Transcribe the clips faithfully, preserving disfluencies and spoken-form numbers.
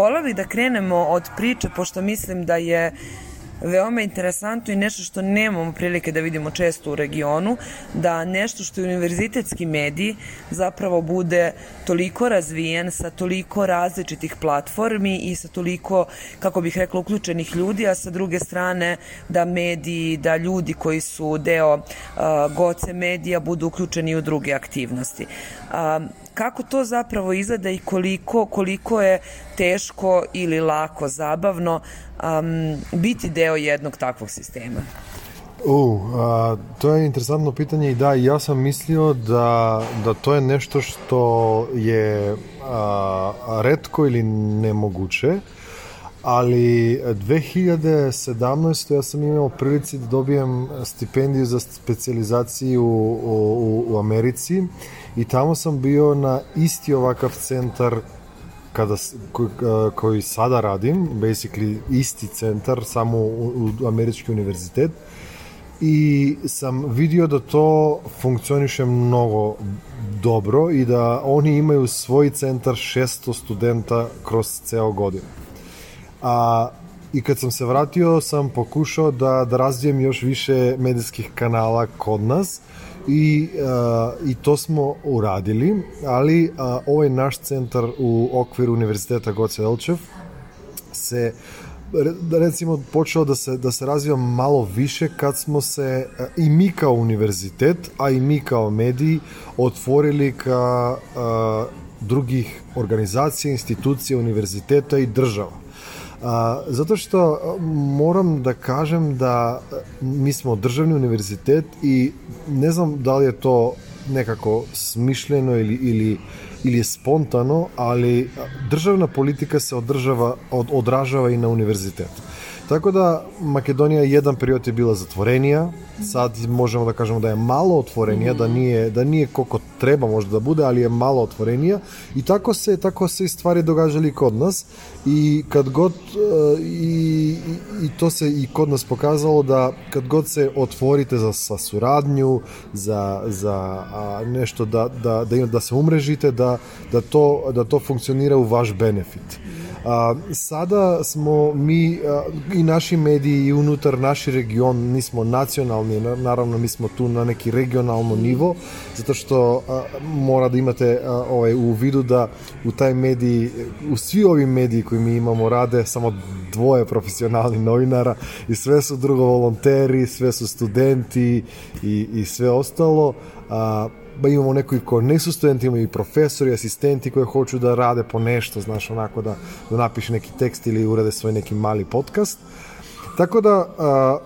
Volela bih da krenemo od priče, pošto mislim da je veoma interesantno i nešto što nemamo prilike da vidimo često u regionu, da nešto što je univerzitetski medij zapravo bude toliko razvijen sa toliko različitih platformi i sa toliko, kako bih rekla, uključenih ljudi, a sa druge strane da mediji, da ljudi koji su deo uh, Goce medija budu uključeni u druge aktivnosti. Uh, kako to zapravo izgleda i koliko, koliko je teško ili lako, zabavno um, biti deo jednog takvog sistema? Uh, a, to je interesantno pitanje i da, ja sam mislio da, da to je nešto što je a, retko ili nemoguće, ali dve hiljade sedamnaeste. ja sam imao prilici da dobijem stipendiju za specijalizaciju u, u, u Americi i tamo sam bio na isti ovakav centar kada, ko, koji sada radim, basically isti centar, samo u, u Američki univerzitet, i sam vidio da to funkcioniše mnogo dobro i da oni imaju svoj centar šesto studenta kroz ceo godinu. A, i kad sam se vratio sam pokušao da, da razvijem još više medijskih kanala kod nas i, a, i to smo uradili, ali a, ovaj naš centar u okviru Univerziteta Goce Delčev se recimo počeo da se, da se razvija malo više kad smo se i mi kao univerzitet, a i mi kao mediji otvorili ka a, drugih organizacija, institucija, univerziteta i država. A, zato što moram da kažem da mi smo državni univerzitet i ne znam da li je to nekako smišljeno ili, ili, ili je spontano, ali državna politika se održava, od, odražava i na univerzitet. Tako da Makedonija jedan period je bila zatvorenija, sad možemo da kažemo da je malo otvorenija, da nije, da nije koliko treba možda da bude, ali je malo otvorenija i tako se, tako se i stvari događali kod nas i kad god i, i to se i kod nas pokazalo da kad god se otvorite za sa suradnju, za, za a, nešto da, da, da, da se umrežite, da, da, to, da to funkcionira u vaš benefit. A, sada smo mi a, i naši mediji i unutar naši region, nismo nacionalni, naravno mi smo tu na neki regionalno nivo, zato što a, mora da imate a, ovaj, u vidu da u taj mediji, u svi ovi mediji koji mi imamo rade samo dvoje profesionalnih novinara i sve su drugo volonteri, sve su studenti i, i sve ostalo. A, ba imamo neki ko ne su studenti, imamo i profesori, asistenti koji hoću da rade po nešto, znaš, onako da, da napiše neki tekst ili urade svoj neki mali podcast. Tako da a,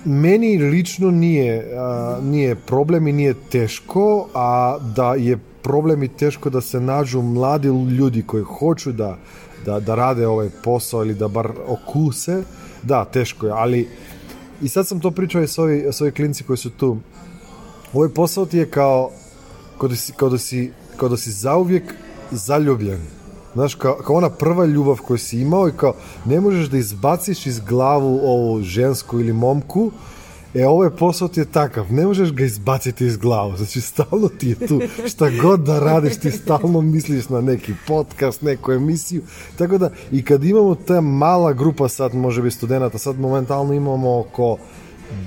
meni lično nije, a, nije problem i nije teško, a da je problem i teško da se nađu mladi ljudi koji hoću da, da, da rade ovaj posao ili da bar okuse, da, teško je, ali i sad sam to pričao i s ovi, s ovi klinci koji su tu. Ovaj posao ti je kao, kao da si, kao da si, kao da si zauvijek zaljubljen. Znaš, kao, kao ona prva ljubav koju si imao i kao ne možeš da izbaciš iz glavu ovu žensku ili momku, e ovaj posao ti je takav, ne možeš ga izbaciti iz glavu, znači stalno ti je tu, šta god da radiš, ti stalno misliš na neki podcast, neku emisiju, tako da i kad imamo ta mala grupa, sad može biti studenta, sad momentalno imamo oko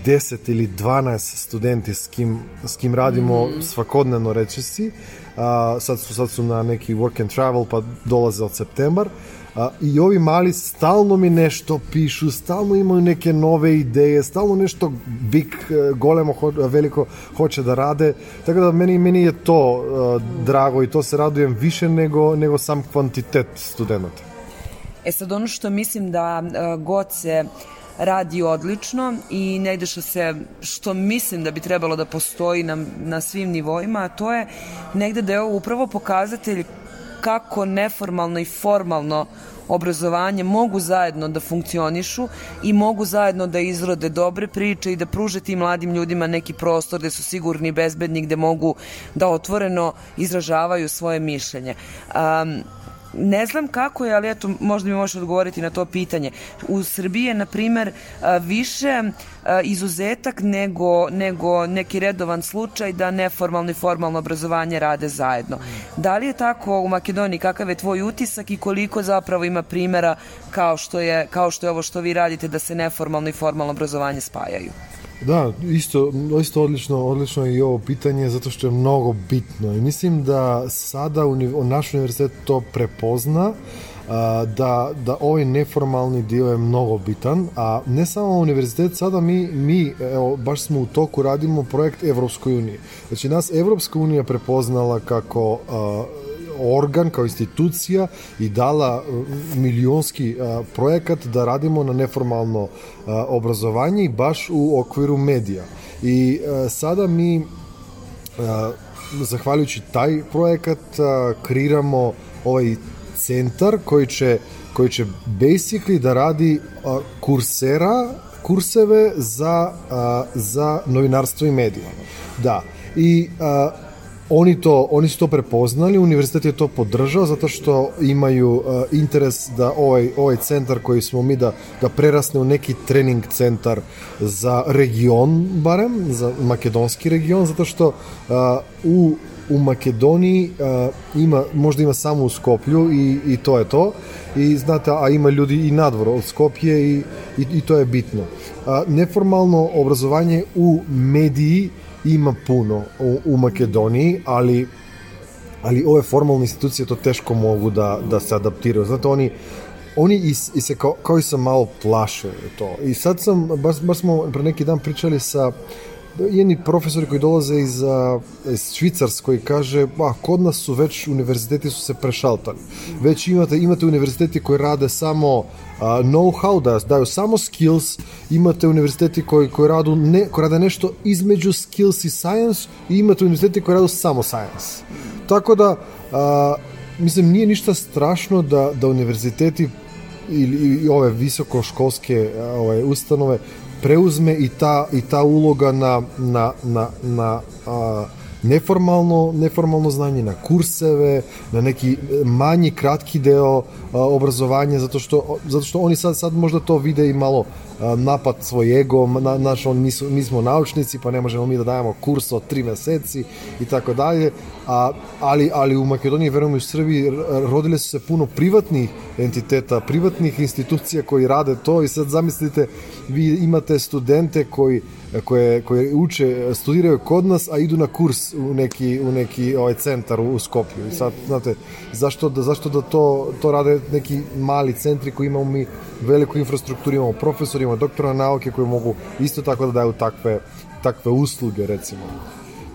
deset ili dvanaest studenti s kim, s kim radimo mm. svakodnevno, reći si. A, sad, su, sad su na neki work and travel, pa dolaze od septembar. A, I ovi mali stalno mi nešto pišu, stalno imaju neke nove ideje, stalno nešto big, golemo, ho, veliko hoće da rade. Tako da meni, meni je to uh, drago i to se radujem više nego, nego sam kvantitet studenta. E sad, ono što mislim da uh, Goce radi odlično i negde što se, što mislim da bi trebalo da postoji na, na svim nivoima, a to je negde da je ovo upravo pokazatelj kako neformalno i formalno obrazovanje mogu zajedno da funkcionišu i mogu zajedno da izrode dobre priče i da pruže tim mladim ljudima neki prostor gde su sigurni i bezbedni, gde mogu da otvoreno izražavaju svoje mišljenje. Um, ne znam kako je, ali eto, možda mi možeš odgovoriti na to pitanje. U Srbiji je, na primer, više izuzetak nego, nego neki redovan slučaj da neformalno i formalno obrazovanje rade zajedno. Da li je tako u Makedoniji? Kakav je tvoj utisak i koliko zapravo ima primjera kao što je, kao što je ovo što vi radite, da se neformalno i formalno obrazovanje spajaju? Da, isto, isto odlično, odlično je i ovo pitanje, zato što je mnogo bitno i mislim da sada uni, naš univerzitet to prepozna, a, da, da ovaj neformalni dio je mnogo bitan, a ne samo univerzitet, sada mi, mi evo, baš smo u toku, radimo projekt Evropskoj uniji. Znači, nas Evropska unija prepoznala kako a, organ, kao institucija i dala milionski a, projekat da radimo na neformalno a, obrazovanje baš u okviru medija. I a, sada mi, a, zahvaljujući taj projekat, a, kreiramo ovaj centar koji će, koji će basically da radi a, kursera, kurseve za, a, za novinarstvo i medije. Da. I a, Oni, to, oni su to prepoznali, univerzitet je to podržao zato što imaju uh, interes da ovaj, ovaj centar koji smo mi da, da prerasne u neki trening centar za region, barem, za makedonski region, zato što uh, u, u Makedoniji uh, ima, možda ima samo u Skoplju i, i to je to. I znate, a ima ljudi i nadvor od Skopje i, i, i to je bitno. Uh, neformalno obrazovanje u mediji ima puno u, u Makedoniji, ali, ali ove formalne institucije to teško mogu da, da se adaptiraju. Znate, oni, oni i, i se kao, kao i sam malo plaše to. I sad sam, baš, baš smo pre neki dan pričali sa jedni profesori koji dolaze iz, iz Švicarske i kaže, ba, kod nas su već univerziteti su se prešaltali. Već imate, imate univerziteti koji rade samo uh, know-how, da daju samo skills, imate univerziteti koji, koji, radu ne, koji rade nešto između skills i science i imate univerziteti koji radu samo science. Tako da, uh, mislim, nije ništa strašno da, da univerziteti ili i ove visokoškolske ove ustanove preuzme i ta, i ta uloga na, na, na, na a, neformalno, neformalno znanje, na kurseve, na neki manji, kratki deo a, obrazovanja, zato što, zato što oni sad, sad možda to vide i malo a, napad svoj ego, na, naš, on, mi, su, mi smo naučnici, pa ne možemo mi da dajemo kurs od tri meseci i tako dalje, a, ali, ali u Makedoniji, verujem i u Srbiji, rodile su se puno privatnih entiteta, privatnih institucija koji rade to i sad zamislite, vi imate studente koji koje, koje uče, studiraju kod nas, a idu na kurs u neki, u neki ovaj centar u Skopju. I sad, znate, zašto da, zašto da to, to rade neki mali centri koji imamo mi veliku infrastrukturu, imamo profesori, imamo doktora nauke koji mogu isto tako da daju takve, takve usluge, recimo.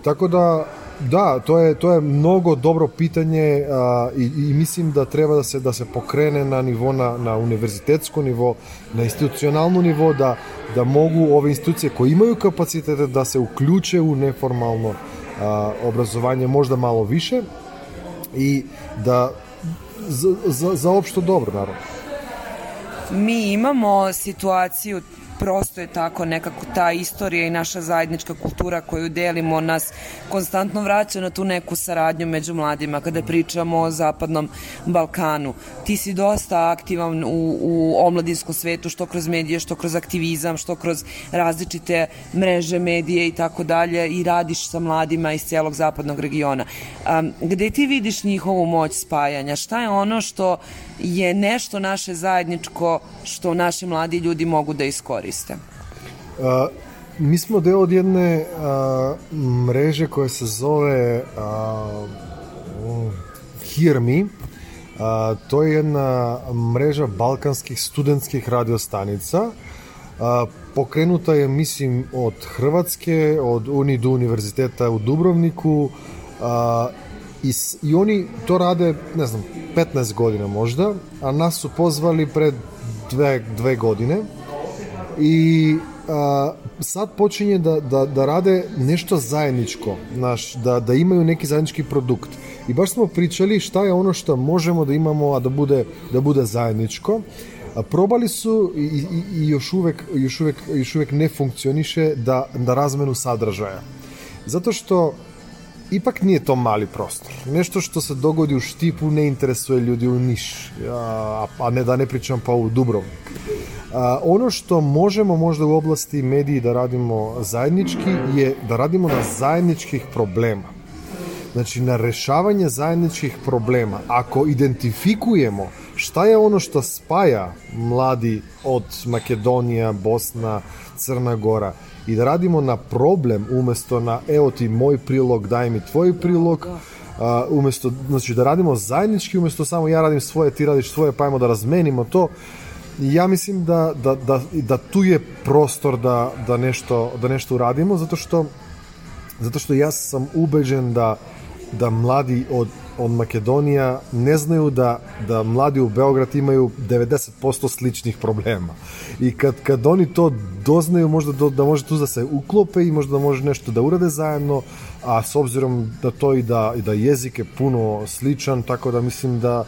Tako da, da, to je, to je mnogo dobro pitanje a, i, i mislim da treba da se, da se pokrene na nivo, na, na univerzitetsko nivo, na institucionalno nivo, da, da mogu ove institucije koje imaju kapacitete da se uključe u neformalno a, obrazovanje možda malo više i da za, za, za opšto dobro, naravno. Mi imamo situaciju, prosto je tako, nekako ta istorija i naša zajednička kultura koju delimo nas konstantno vraća na tu neku saradnju među mladima kada pričamo o Zapadnom Balkanu. Ti si dosta aktivan u, u omladinskom svetu, što kroz medije, što kroz aktivizam, što kroz različite mreže, medije i tako dalje i radiš sa mladima iz celog zapadnog regiona. Um, gde ti vidiš njihovu moć spajanja? Šta je ono što je nešto naše zajedničko što naši mladi ljudi mogu da iskoriste? Uh, mi smo deo od jedne uh, mreže koja se zove uh, Hear Me. Uh, to je jedna mreža balkanskih studentskih radiostanica. Uh, pokrenuta je, mislim, od Hrvatske, od Unidu univerziteta u Dubrovniku, uh, I, i oni to rade, ne znam, petnaest godina možda, a nas su pozvali pred dve, dve godine i a, sad počinje da, da, da rade nešto zajedničko, naš, da, da imaju neki zajednički produkt. I baš smo pričali šta je ono što možemo da imamo, a da bude, da bude zajedničko. A probali su i, i, i još, uvek, još, uvek, još uvek ne funkcioniše da, da razmenu sadržaja. Zato što ipak nije to mali prostor. Nešto što se dogodi u Štipu ne interesuje ljudi u Niš, a, a ne da ne pričam pa u Dubrovnik. A, ono što možemo možda u oblasti mediji da radimo zajednički je da radimo na zajedničkih problema. Znači na rešavanje zajedničkih problema. Ako identifikujemo šta je ono što spaja mladi od Makedonija, Bosna, Crna Gora i da radimo na problem umjesto na evo ti moj prilog, daj mi tvoj prilog, uh, umjesto, znači da radimo zajednički umjesto samo ja radim svoje, ti radiš svoje, pa ajmo da razmenimo to. Ja mislim da, da, da, da tu je prostor da, da, nešto, da nešto uradimo, zato što, zato što ja sam ubeđen da, da mladi od, od Makedonija ne znaju da, da mladi u Beograd imaju devedeset posto sličnih problema. I kad, kad oni to doznaju, možda do, da može tu da se uklope i možda da može nešto da urade zajedno, a s obzirom da to i da, i da jezik je puno sličan, tako da mislim da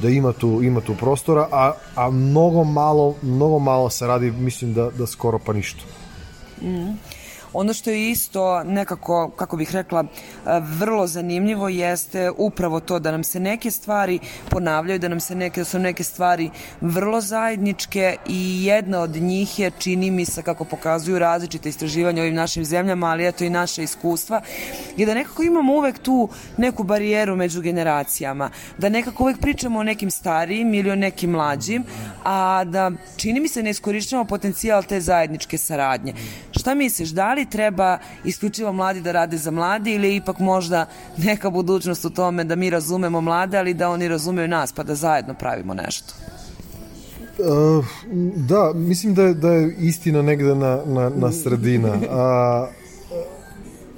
da ima tu, ima tu prostora, a, a mnogo malo, mnogo malo se radi, mislim da, da skoro pa ništa. Mm. Ono što je isto nekako, kako bih rekla, vrlo zanimljivo jeste upravo to da nam se neke stvari ponavljaju, da nam se neke, da su neke stvari vrlo zajedničke i jedna od njih je, čini mi se, kako pokazuju različite istraživanja u ovim našim zemljama, ali eto i naše iskustva, je da nekako imamo uvek tu neku barijeru među generacijama, da nekako uvek pričamo o nekim starijim ili o nekim mlađim, a da, čini mi se, ne iskorišćavamo potencijal te zajedničke saradnje. Šta misliš, da li treba isključivo mladi da rade za mladi ili ipak možda neka budućnost u tome da mi razumemo mlade, ali da oni razumeju nas, pa da zajedno pravimo nešto? Uh, da, mislim da je, da je istina negde na, na, na sredina. A,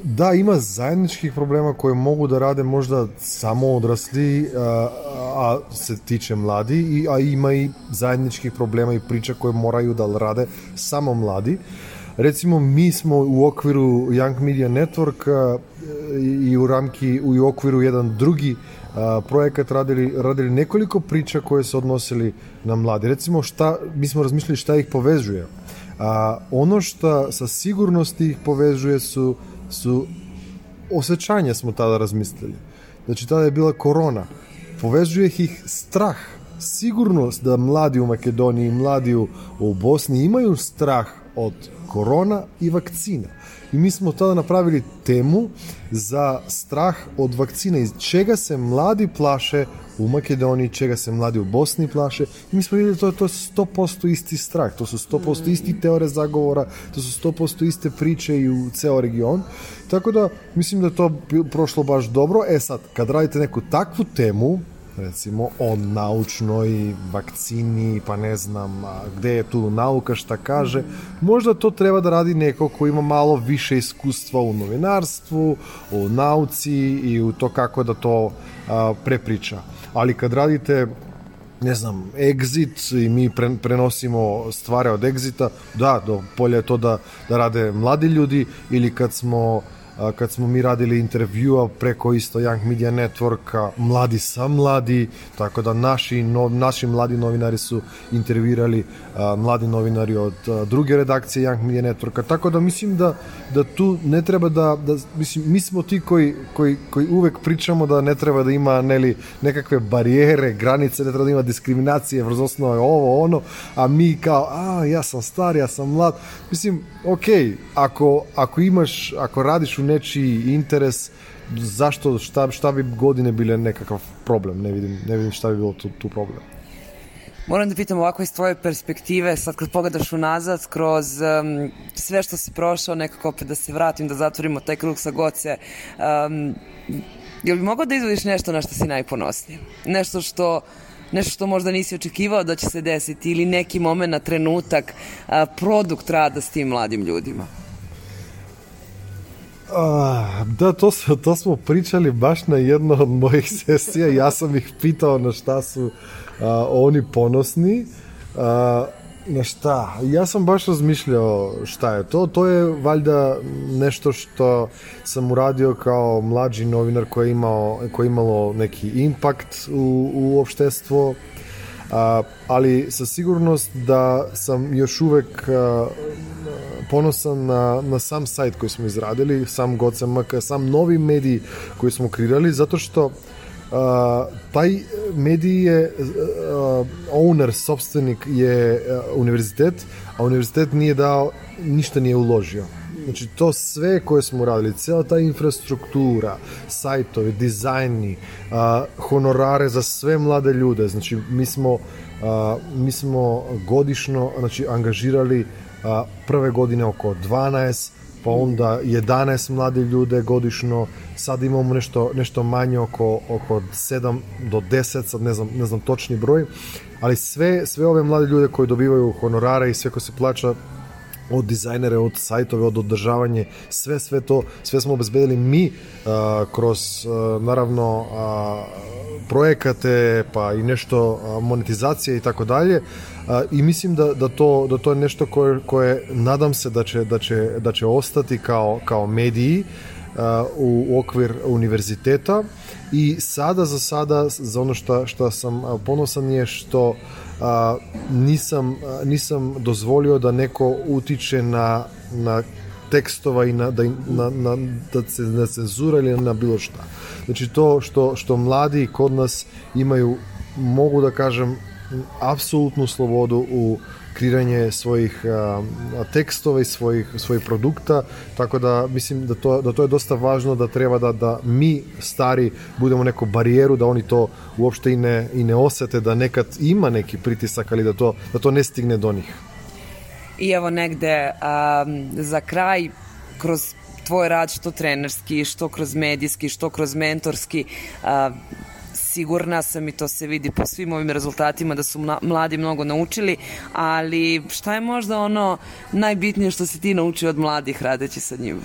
da, ima zajedničkih problema koje mogu da rade možda samo odrasli, a, a se tiče mladi, i, a ima i zajedničkih problema i priča koje moraju da rade samo mladi. Recimo, mi smo u okviru Young Media Network i u ramki, i u okviru jedan drugi a, projekat radili, radili nekoliko priča koje se odnosili na mladi. Recimo, šta, mi smo razmišljali šta ih povezuje. A, ono što sa sigurnosti ih povezuje su, su osjećanja, smo tada razmislili. Znači, tada je bila korona. Povezuje ih strah. Sigurnost da mladi u Makedoniji, mladi u, u Bosni imaju strah od korona i vakcina. I mi smo tada napravili temu za strah od vakcina, iz čega se mladi plaše u Makedoniji, čega se mladi u Bosni plaše. I mi smo vidjeli to, to je sto posto isti strah, to su sto posto isti teore zagovora, to su sto posto iste priče i u ceo region. Tako da mislim da je to prošlo baš dobro. E sad, kad radite neku takvu temu, recimo o naučnoj vakcini, pa ne znam gde je tu nauka, šta kaže, možda to treba da radi neko ko ima malo više iskustva u novinarstvu, u nauci i u to kako da to a, prepriča. Ali kad radite, ne znam, Exit i mi pre, prenosimo stvari od Exita, da, do polja je to da, da rade mladi ljudi, ili kad smo kad smo mi radili intervjua preko isto Young Media Networka, mladi sa mladi, tako da naši, no, naši mladi novinari su intervjuirali a, mladi novinari od a, druge redakcije Young Media Networka, tako da mislim da, da tu ne treba da, da mislim, mi smo ti koji, koji, koji uvek pričamo da ne treba da ima neli, nekakve barijere, granice, ne treba da ima diskriminacije, vrz osnove ovo, ono, a mi kao, a, ja sam star, ja sam mlad, mislim, okej, ako, ako imaš, ako radiš u nečiji interes, zašto, šta, šta bi godine bile nekakav problem, ne vidim, ne vidim šta bi bilo tu, tu problem. Moram da pitam ovako iz tvoje perspektive, sad kad pogledaš unazad kroz um, sve što si prošao, nekako opet da se vratim, da zatvorimo taj krug sa Goce, um, jel bi mogao da izvodiš nešto na što si najponosniji? Nešto što nešto što možda nisi očekivao da će se desiti, ili neki moment, trenutak, a, produkt rada s tim mladim ljudima? A, da, to, to smo pričali baš na jedno od mojih sesija. Ja sam ih pitao na šta su a, oni ponosni. A, na šta? Ja sam baš razmišljao šta je to. To je valjda nešto što sam uradio kao mlađi novinar koji je imao, koji je imalo neki impakt u, u opštestvo. A, ali sa sigurnost da sam još uvek a, ponosan na, na sam sajt koji smo izradili, sam G O C M K, sam novi medij koji smo kreirali, zato što uh, taj medij je uh, owner, sopstvenik je uh, univerzitet, a univerzitet nije dao, ništa nije uložio. Znači, to sve koje smo radili, cijela ta infrastruktura, sajtovi, dizajni, uh, honorare za sve mlade ljude, znači, mi smo, uh, mi smo godišno, znači, angažirali uh, prve godine oko dvanaest, pa onda jedanaest mlade ljude godišno, sad imamo nešto, nešto manje oko, oko sedam do deset, sad ne znam, ne znam točni broj, ali sve, sve ove mlade ljude koji dobivaju honorare i sve koje se plaća od dizajnere, od sajtove, od održavanje, sve, sve to, sve smo obezbedili mi uh, kroz, uh, naravno, uh, projekate, pa i nešto uh, monetizacije i tako dalje. I mislim da, da, to, da to je nešto koje, koje nadam se da će, da će, da će ostati kao, kao mediji uh, u, u okvir univerziteta. I sada za sada, za ono što, što sam ponosan je što a, nisam, a, nisam dozvolio da neko utiče na, na tekstova i na, da, na, na, da se na cenzura ili na bilo šta. Znači to što, što mladi kod nas imaju, mogu da kažem, apsolutnu slobodu u kreiranje svojih a, tekstova i svojih, svojih produkta, tako da mislim da to, da to je dosta važno, da treba da, da mi stari budemo neku barijeru, da oni to uopšte i ne, i ne osete, da nekad ima neki pritisak, ali da to, da to ne stigne do njih. I evo negde a, za kraj, kroz tvoj rad, što trenerski, što kroz medijski, što kroz mentorski, a, sigurna sam i to se vidi po svim ovim rezultatima da su mladi mnogo naučili, ali šta je možda ono najbitnije što si ti naučio od mladih radeći sa njima?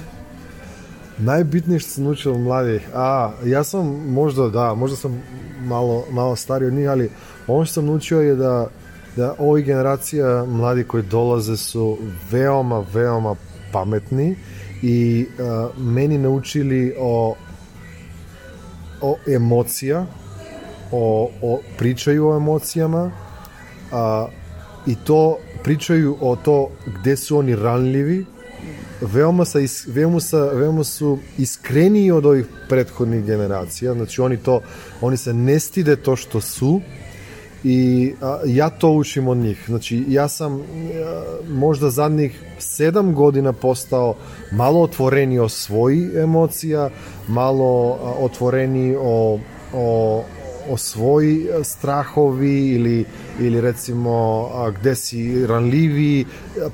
Najbitnije što sam naučio od mladih? A, ja sam možda, da, možda sam malo, malo stariji od njih, ali ono što sam naučio je da, da ovi generacija mladi koji dolaze su veoma, veoma pametni i uh, meni naučili o, o emocija, O, o, pričaju o emocijama a, i to pričaju o to gde su oni ranljivi, veoma, sa, veoma, sa, veoma su iskreniji od ovih prethodnih generacija, znači oni, to, oni se ne stide to što su i a, ja to učim od njih. Znači ja sam a, možda zadnjih sedam godina postao malo otvoreniji o svojih emocija, malo a, otvoreniji o, o o svoji strahovi ili, ili recimo a, gde si ranljivi,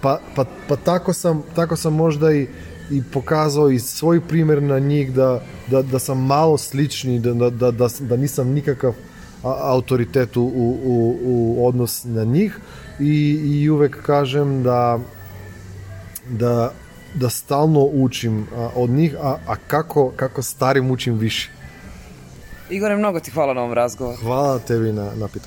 pa, pa, pa tako, sam, tako sam možda i, i pokazao i svoj primjer na njih da, da, da sam malo slični, da, da, da, da, da nisam nikakav a, autoritet u, u, u odnos na njih i, i uvek kažem da, da, da stalno učim a, od njih, a, a kako, kako starim učim više. Igore, mnogo ti hvala na ovom razgovoru. Hvala tebi na, na pitanju.